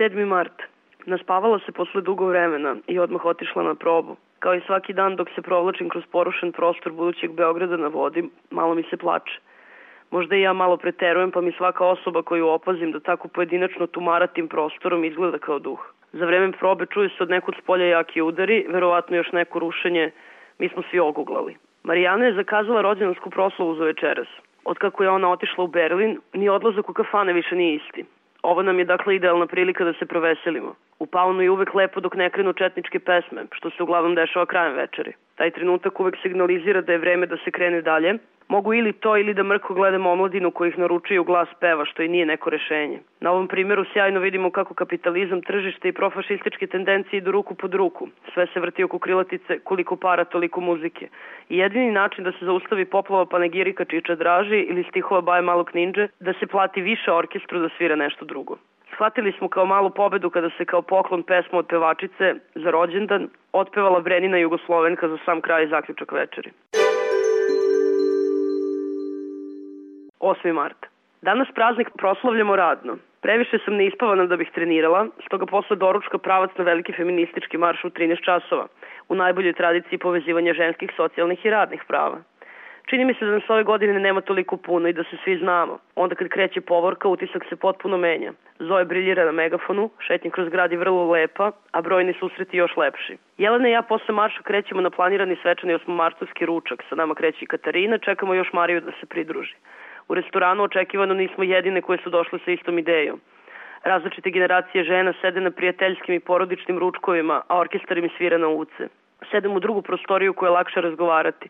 7. mart. Naspavala se posle dugo vremena i odmah otišla na probu. Kao i svaki dan dok se provlačim kroz porušen prostor budućeg Beograda na vodi, malo mi se plače. Možda i ja malo preterujem, pa mi svaka osoba koju opazim da tako pojedinačno tumara tim prostorom izgleda kao duh. Za vreme probe čuje se od nekud spolja jaki udari, verovatno još neko rušenje, mi smo svi oguglali. Marijana je zakazala rođendansku proslavu za večeras. Otkako je ona otišla u Berlin, ni odlazak u kafane više nije isti. Ovo nam je dakle idealna prilika da se proveselimo. U Paunu je uvek lepo dok ne krenu četničke pesme, što se uglavnom dešava krajem večeri. Taj trenutak uvek signalizira da je vreme da se krene dalje. Mogu ili to ili da mrko gledamo omladinu koji ih naručuju glas peva, što i nije neko rešenje. Na ovom primjeru sjajno vidimo kako kapitalizam, tržište i profašističke tendencije idu ruku pod ruku. Sve se vrti oko krilatice, koliko para, toliko muzike. I jedini način da se zaustavi poplava panegirika Čiča Draži ili stihova Baje Malog Ninđe, da se plati više orkestru da svira nešto drugo. Shvatili smo kao malu pobedu kada se kao poklon pesma od pevačice za rođendan otpevala Brenina Jugoslovenka za sam kraj i zaključak večeri. 8. mart. Danas praznik proslavljamo radno. Previše sam neispavana da bih trenirala, stoga posle doručka pravac na veliki feministički marš u 13 časova, u najboljoj tradiciji povezivanja ženskih, socijalnih i radnih prava. Čini mi se da nas ove godine nema toliko puno i da se svi znamo. Onda kad kreće povorka, utisak se potpuno menja. Zoe briljira na megafonu, šetnja kroz grad je vrlo lepa, a brojni susreti još lepši. Jelena i ja posle marša krećemo na planirani svečani 8-martovski ručak. Sa nama kreće i Katarina, čekamo još Mariju da se pridruži. U restoranu očekivano nismo jedine koje su došle sa istom idejom. Različite generacije žena sede na prijateljskim i porodičnim ručkovima, a orkestar im svira na uce. Sedem u drugu prostoriju koju je lakše razgovarati.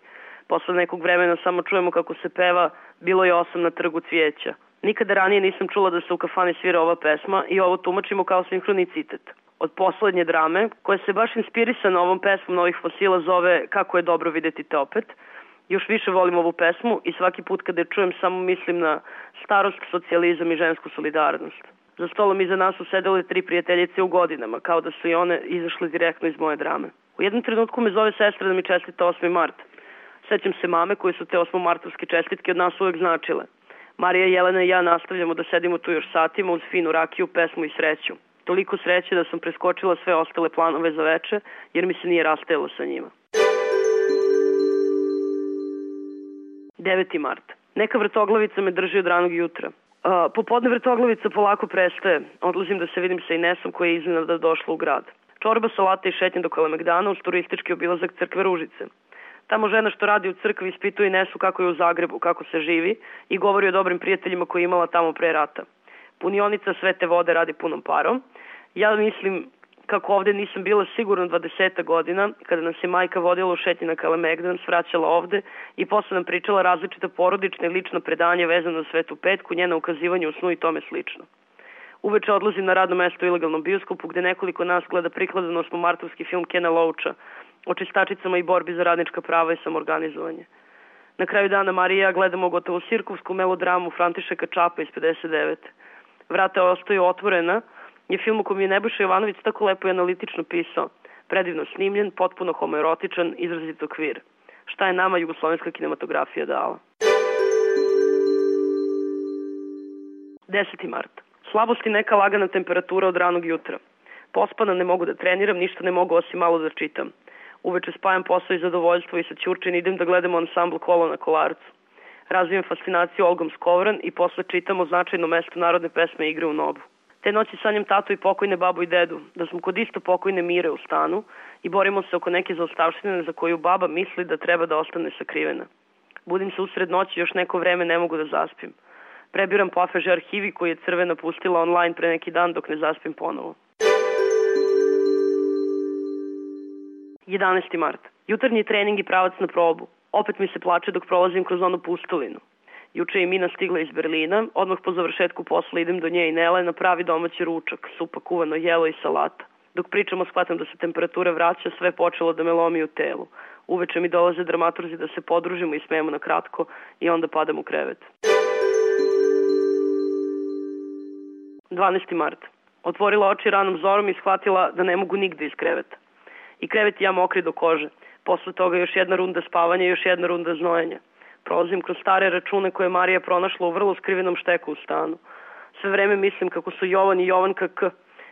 Posle nekog vremena samo čujemo kako se peva Bilo je 8 na trgu cvijeća. Nikada ranije nisam čula da se u kafani svira ova pesma i ovo tumačimo kao sinhronicitet. Od poslednje drame, koja se baš inspirisana ovom pesmom Novih fosila zove Kako je dobro videti te opet, još više volim ovu pesmu i svaki put kada je čujem samo mislim na starost, socijalizam i žensku solidarnost. Za stolom iza nas su sedele 3 prijateljice u godinama, kao da su i one izašle direktno iz moje drame. U jednom trenutku me zove sestra da mi čestita 8. mart. Sećam se mame koje su te 8-martovske čestitke od nas uvek značile. Marija, Jelena i ja nastavljamo da sedimo tu još satima uz finu rakiju, pesmu i sreću. Toliko sreće da sam preskočila sve ostale planove za veče, jer mi se nije rastajalo sa njima. 9. mart. Neka vrtoglavica me drži od ranog jutra. Popodne vrtoglavica polako prestaje. Odlazim da se vidim sa Inesom koja je iznenada došla u grad. Čorba, salata i šetnja do Kalemegdana uz turistički obilazak crkve Ružice. Tamo žena što radi u crkvi ispituje Inesu kako je u Zagrebu, kako se živi i govori o dobrim prijateljima koje je imala tamo pre rata. Punionica Svete vode radi punom parom. Ja mislim kako ovde nisam bila sigurno 20 godina, kada nas je majka vodila u šetnji na Kalemegdan, svraćala ovde i posle nam pričala različita porodična i lična predanja vezana za Svetu Petku, njena ukazivanja u snu i tome slično. Uveče odlazim na radno mesto u ilegalnom bioskopu gde nekoliko nas gleda prikladan 8-martovski film Kena Loacha o čistačicama i borbi za radnička prava i samorganizovanje. Na kraju dana Marija i ja gledamo gotovo sirkovsku melodramu Františeka Čapa iz 59. Vrata ostaju otvorena je film u kojem je Nebojša Jovanović tako lepo i analitično pisao. Predivno snimljen, potpuno homoerotičan, izrazito kvir. Šta je nama jugoslovenska kinematografija dala? 10. mart. Slabost i neka lagana temperatura od ranog jutra. Pospana, ne mogu da treniram, ništa ne mogu osim malo da čitam. Uveče spajam posao i zadovoljstvo i sa Ćurčin idem da gledamo ansambl Kolo na Kolarcu. Razvijem fascinaciju Olgom Skovran i posle čitamo značajno mesto narodne pesme Igre u Nobu. Te noći sanjam tatu i pokojne babu i dedu, da smo kod isto pokojne Mire u stanu i borimo se oko neke zaostavštine za koju baba misli da treba da ostane sakrivena. Budim se usred noći, još neko vreme ne mogu da zaspim. Prebiram Pafeže arhivi koji je Crvena pustila online pre neki dan dok ne zaspim ponovo. 11. mart. Jutarnji trening i pravac na probu. Opet mi se plače dok prolazim kroz onu pustulinu. Juče je Mina stigla iz Berlina, odmah po završetku posla idem do nje i Nele na pravi domaći ručak, supa, kuvano jelo i salata. Dok pričamo shvatam da se temperatura vraća, sve počelo da me lomi u telu. Uveče mi dolaze dramaturzi da se podružimo i smijemo na kratko i onda padam u krevet. 12. mart. Otvorila oči ranom zorom i shvatila da ne mogu nigde iz kreveta. I krevet i ja mokri do kože. Posle toga još jedna runda spavanja i još jedna runda znojenja. Prolazim kroz stare račune koje je Marija pronašla u vrlo skrivenom šteku u stanu. Sve vreme mislim kako su Jovan i Jovanka K.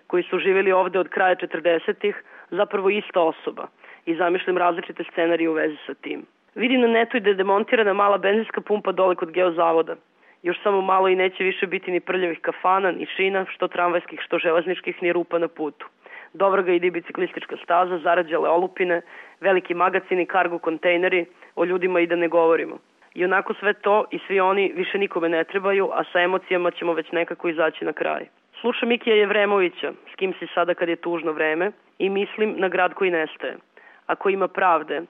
koji su živjeli ovde od kraja 40-ih, zapravo ista osoba i zamišljam različite scenarije u vezi sa tim. Vidim na netu i da je demontirana mala benzinska pumpa dole kod geozavoda. Još samo malo i neće više biti ni prljavih kafana, ni šina, što tramvajskih, što železničkih, ni rupa na putu. Dobro ga ide i biciklistička staza, zarađale olupine, veliki magacini, kargo kontejneri, o ljudima i da ne govorimo. I onako sve to i svi oni više nikome ne trebaju, a sa emocijama ćemo već nekako izaći na kraj. Slušam Mikija Jevremovića, s kim si sada kad je tužno vreme, i mislim na grad koji nestaje. Ako ima pravde,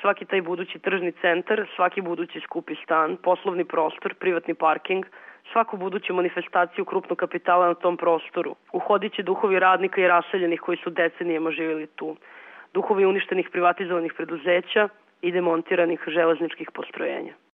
svaki taj budući tržni centar, svaki budući skupi stan, poslovni prostor, privatni parking, svaku buduću manifestaciju krupnog kapitala na tom prostoru. Uhodit će duhovi radnika i raseljenih koji su decenijama živjeli tu. Duhovi uništenih privatizovanih preduzeća i demontiranih železničkih postrojenja.